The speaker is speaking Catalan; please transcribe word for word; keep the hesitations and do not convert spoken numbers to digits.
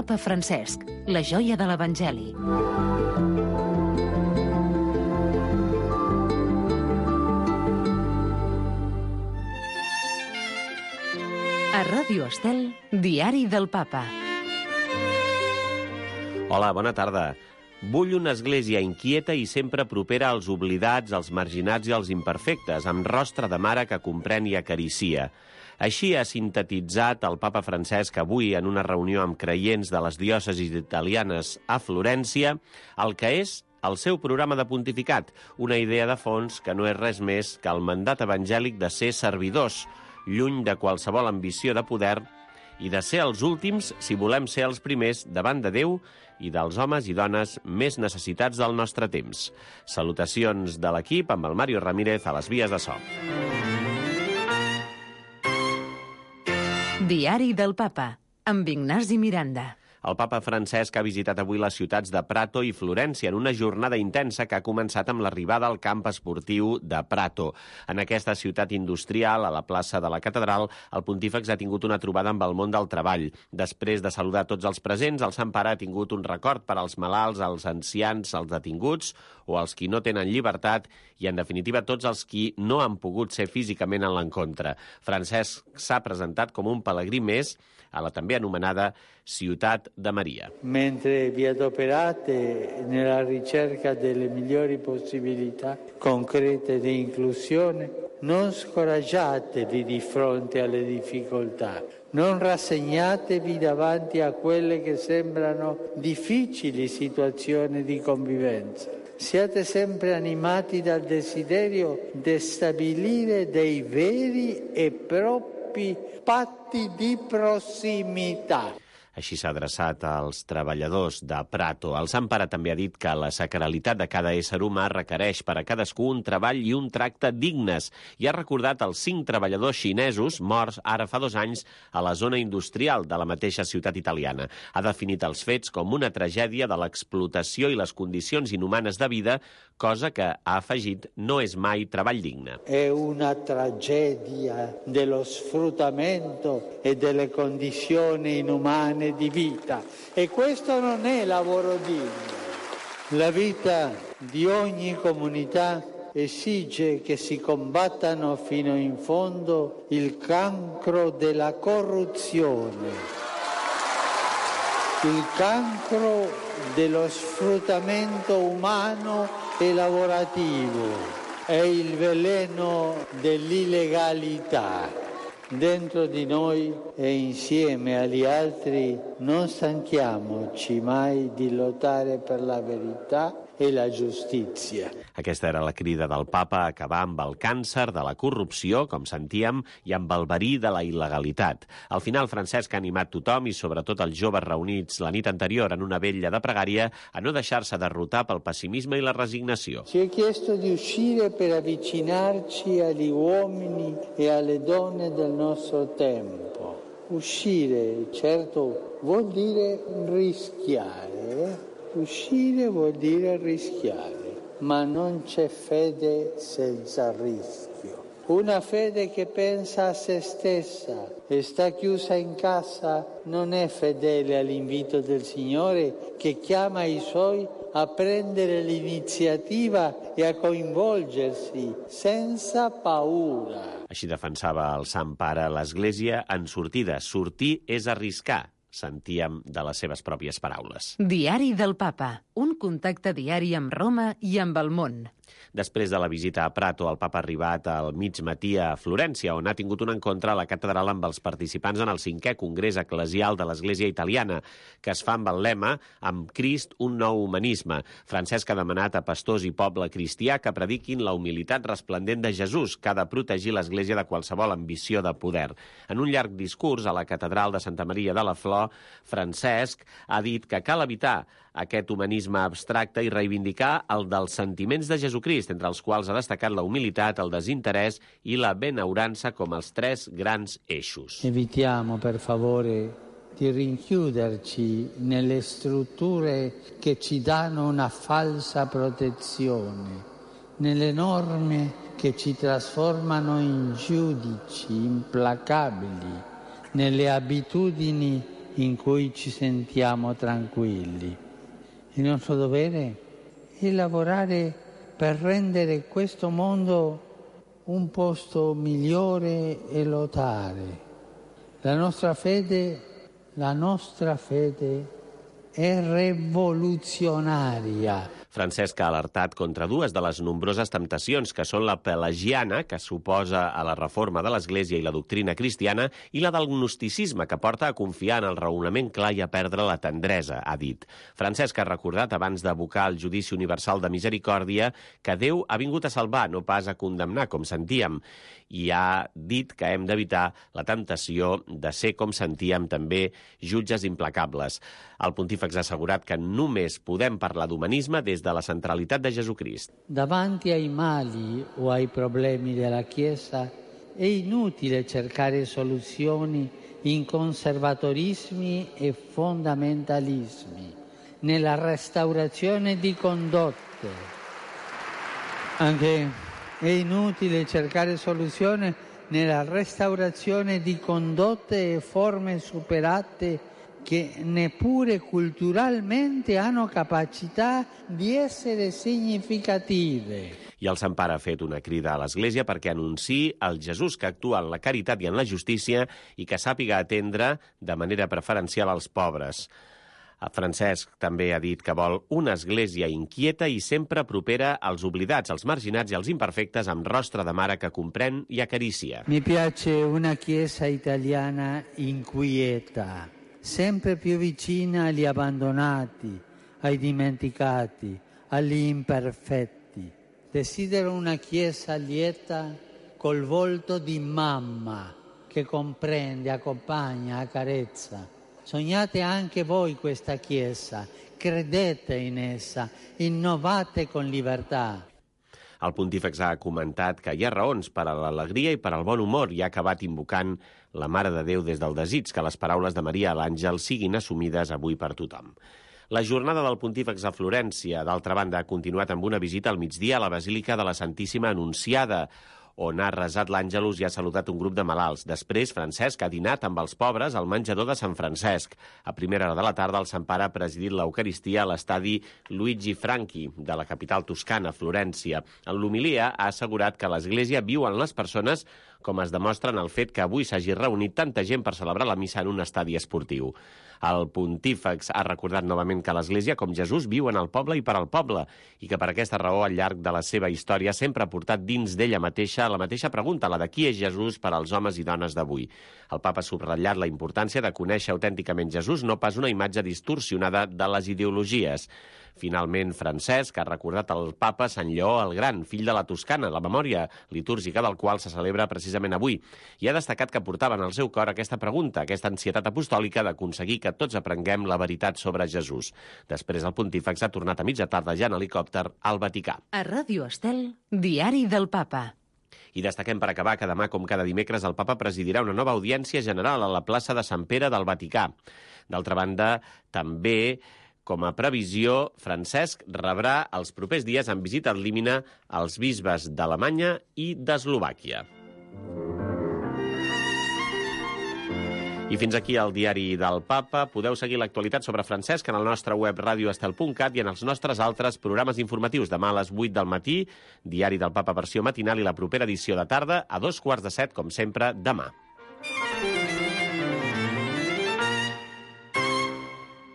papa Francesc, la joia de l'Evangeli. A Ràdio Estel, Diari del Papa. Hola, bona tarda. Vull una església inquieta i sempre propera als oblidats, als marginats i als imperfectes, amb rostre de mare que comprèn i acaricia. Així ha sintetitzat el papa Francesc avui en una reunió amb creients de les diòcesis italianes a Florència el que és el seu programa de pontificat, una idea de fons que no és res més que el mandat evangèlic de ser servidors, lluny de qualsevol ambició de poder i de ser els últims si volem ser els primers davant de Déu i dels homes i dones més necessitats del nostre temps. Salutacions de l'equip amb el Mario Ramírez a les vies de so. Diari del Papa, amb Ignasi Miranda. El papa Francesc ha visitat avui les ciutats de Prato i Florència en una jornada intensa que ha començat amb l'arribada al camp esportiu de Prato. En aquesta ciutat industrial, a la plaça de la Catedral, el pontífex ha tingut una trobada amb el món del treball. Després de saludar tots els presents, el Sant Pare ha tingut un record per als malalts, als ancians, als detinguts o als qui no tenen llibertat i, en definitiva, tots els qui no han pogut ser físicament en l'encontre. Francesc s'ha presentat com un pelegrí més a la també anomenada Ciutat de Maria. Mentre vi adoperate nella ricerca delle migliori possibilità concrete di inclusione, non scoraggiatevi di fronte alle difficoltà, non rassegnatevi davanti a quelle che sembrano difficili situazioni di convivenza. Siate sempre animati dal desiderio di stabilire dei veri e propri patti di prossimità. Així s'ha adreçat als treballadors de Prato. El Sant Pare també ha dit que la sacralitat de cada ésser humà requereix per a cadascú un treball i un tracte dignes i ha recordat els cinc treballadors xinesos morts ara fa dos anys a la zona industrial de la mateixa ciutat italiana. Ha definit els fets com una tragèdia de l'explotació i les condicions inhumanes de vida, cosa que, ha afegit, no és mai treball digne. È una tragedia dello sfruttamento e delle condizioni inumane di vita e questo non è lavoro digno. La vita di ogni comunità esige che si combattano fino in fondo il cancro della corruzione, il cancro dello sfruttamento umano e lavorativo e il veleno dell'illegalità. Dentro di noi e insieme agli altri non stanchiamoci mai di lottare per la verità e la giustizia. Aquesta era la crida del papa a acabar amb el càncer de la corrupció, com sentíem, i amb el verí de la il·legalitat. Al final, Francesc ha animat tothom i sobretot els joves reunits la nit anterior en una vetlla de pregària a no deixar-se derrotar pel pessimisme i la resignació. Ci è chiesto di uscire per avvicinarci agli uomini e alle donne del nostro tempo. Uscire, certo, vuol dire rischiare, eh? Uscire vuol dire rischiare, ma non c'è fede senza rischio. Una fede che pensa a se stessa e sta chiusa in casa non è fedele all'invito del Signore che chiama i Suoi a prendere l'iniziativa e a coinvolgersi senza paura. Així defensava el Sant Pare l'Església en sortida. Sortir és arriscar, sentíem de les seves pròpies paraules. Diari del Papa, un contacte diari amb Roma i amb el món. Després de la visita a Prato, el papa ha arribat al mig matí a Florència, on ha tingut un encontre a la catedral amb els participants en el cinquè Congrés Eclesial de l'Església Italiana, que es fa amb el lema «Amb Crist, un nou humanisme». Francesc ha demanat a pastors i poble cristià que prediquin la humilitat resplendent de Jesús, que ha de protegir l'Església de qualsevol ambició de poder. En un llarg discurs a la catedral de Santa Maria de la Flor, Francesc ha dit que cal evitar aquest humanisme abstracte i reivindicar el dels sentiments de Jesucrist, entre els quals ha destacat la humilitat, el desinterès i la benaurança com els tres grans eixos. Evitiamo, per favore, di rinchiuderci nelle strutture che ci danno una falsa protezione, nelle norme che ci trasformano in giudici implacabili, nelle abitudini in cui ci sentiamo tranquilli. Il nostro dovere è lavorare per rendere questo mondo un posto migliore e lottare. La nostra fede, la nostra fede è rivoluzionaria. Francesc ha alertat contra dues de les nombroses temptacions, que són la pelagiana, que s'oposa a la reforma de l'Església i la doctrina cristiana, i la del gnosticisme, que porta a confiar en el raonament clar i a perdre la tendresa, ha dit. Francesc ha recordat, abans d'abocar el judici universal de misericòrdia, que Déu ha vingut a salvar, no pas a condemnar, com sentíem, i ha dit que hem d'evitar la temptació de ser, com sentíem, també jutges implacables. El pontífex ha assegurat que només podem parlar d'humanisme des de la centralitat de Jesucrist. Davanti ai mali o ai problemi della Chiesa è inutile cercare soluzioni in conservatorismi e fondamentalismi, nella restaurazione di condotte. Anche è inutile cercare soluzione nella restaurazione di condotte e forme superate che neppure culturalmente hanno capacità di essere significative. I el Sant Pare ha fet una crida a l'Església perquè anunciï el Jesús que actua en la caritat i en la justícia i que sàpiga atendre de manera preferencial als pobres. Francesc també ha dit que vol una església inquieta i sempre propera als oblidats, als marginats i als imperfectes, amb rostre de mare que comprèn i acaricia. Mi piace una Chiesa italiana inquieta, sempre più vicina agli abbandonati, ai dimenticati, agli imperfetti. Desidero una Chiesa lieta col volto di mamma che comprende, accompagna, accarezza. Sognate anche voi questa Chiesa, credete in essa, innovate con libertà. El pontífex ha comentat que hi ha raons per a l'alegria i per al bon humor i ha acabat invocant la Mare de Déu des del desig que les paraules de Maria a l'Àngel siguin assumides avui per tothom. La jornada del pontífex a Florència, d'altra banda, ha continuat amb una visita al migdia a la Basílica de la Santíssima Anunciada, on ha resat l'Àngelus i ha saludat un grup de malalts. Després, Francesc ha dinat amb els pobres al menjador de Sant Francesc. A primera hora de la tarda, el Sant Pare ha presidit l'Eucaristia a l'estadi Luigi Franchi, de la capital toscana, Florència. En l'homilia ha assegurat que a l'Església viuen les persones, com es demostra en el fet que avui s'hagi reunit tanta gent per celebrar la missa en un estadi esportiu. El pontífex ha recordat novament que l'Església, com Jesús, viu en el poble i per al poble, i que per aquesta raó, al llarg de la seva història, sempre ha portat dins d'ella mateixa la mateixa pregunta, la de qui és Jesús per als homes i dones d'avui. El papa ha subratllat la importància de conèixer autènticament Jesús, no pas una imatge distorsionada de les ideologies. Finalment, Francesc ha recordat el papa Sant Lleó el Gran, fill de la Toscana, la memòria litúrgica del qual se celebra precisament avui, i ha destacat que portava en el seu cor aquesta pregunta, aquesta ansietat apostòlica d'aconseguir que tots aprenguem la veritat sobre Jesús. Després, el pontífex ha tornat a mitja tarda ja en helicòpter al Vaticà. A Ràdio Estel, Diari del Papa. I destaquem per acabar que demà, com cada dimecres, el papa presidirà una nova audiència general a la plaça de Sant Pere del Vaticà. D'altra banda, també, com a previsió, Francesc rebrà els propers dies en visita al límina als bisbes d'Alemanya i d'Eslovàquia. I fins aquí el Diari del Papa. Podeu seguir l'actualitat sobre Francesc en el nostre web radioestel punt cat i en els nostres altres programes informatius. Demà a les vuit del matí, Diari del Papa versió matinal i la propera edició de tarda a dos quarts de set, com sempre, demà.